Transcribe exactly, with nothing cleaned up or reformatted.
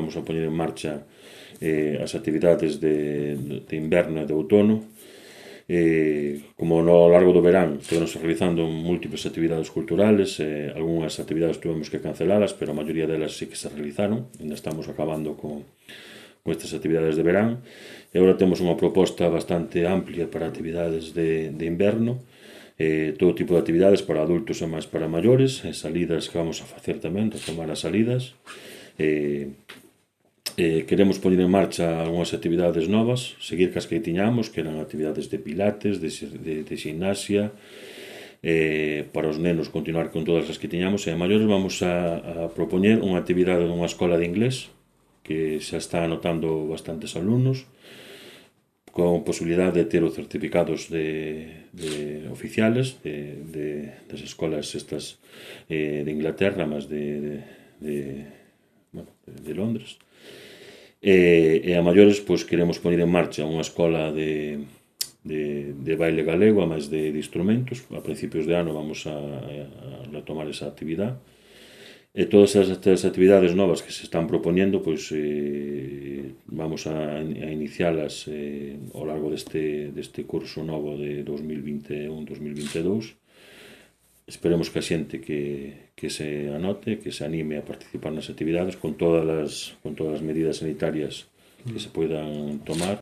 vamos a poñer en marcha eh, as actividades de, de inverno e de outono. Eh, como no largo do verán estamos realizando múltiples actividades culturales, eh, algunhas actividades tuvemos que cancelalas, pero a maioría delas sí que se realizaron. Ainda estamos acabando con, con estas actividades de verán, e agora temos unha proposta bastante amplia para actividades de, de inverno, eh, todo tipo de actividades para adultos e máis para maiores, e salidas que vamos a facer tamén, retomar as salidas. eh, Eh, queremos poñer en marcha algunhas actividades novas, seguir cas que tiñamos, que eran actividades de pilates, de, de, de gimnasia, eh, para os nenos continuar con todas as que tiñamos, e a maiores vamos a, a propoñer unha actividade nunha escola de inglés, que xa está anotando bastantes alumnos, con posibilidade de ter os certificados de, de oficiales de, de, das escolas estas eh, de Inglaterra, mas de, de, de, bueno, de, de Londres. E, e a maiores pois, queremos poñer en marcha unha escola de, de, de baile galego, a máis de, de instrumentos. A principios de ano vamos a, a retomar esa actividade, e todas estas actividades novas que se están propoñendo pois, eh, vamos a, a inicialas eh, ao largo deste, deste curso novo de dos mil vinte e un dos mil vinte e dous. Esperemos que a xente que, que se anote, que se anime a participar nas actividades con todas as, con todas as medidas sanitarias que se poidan tomar.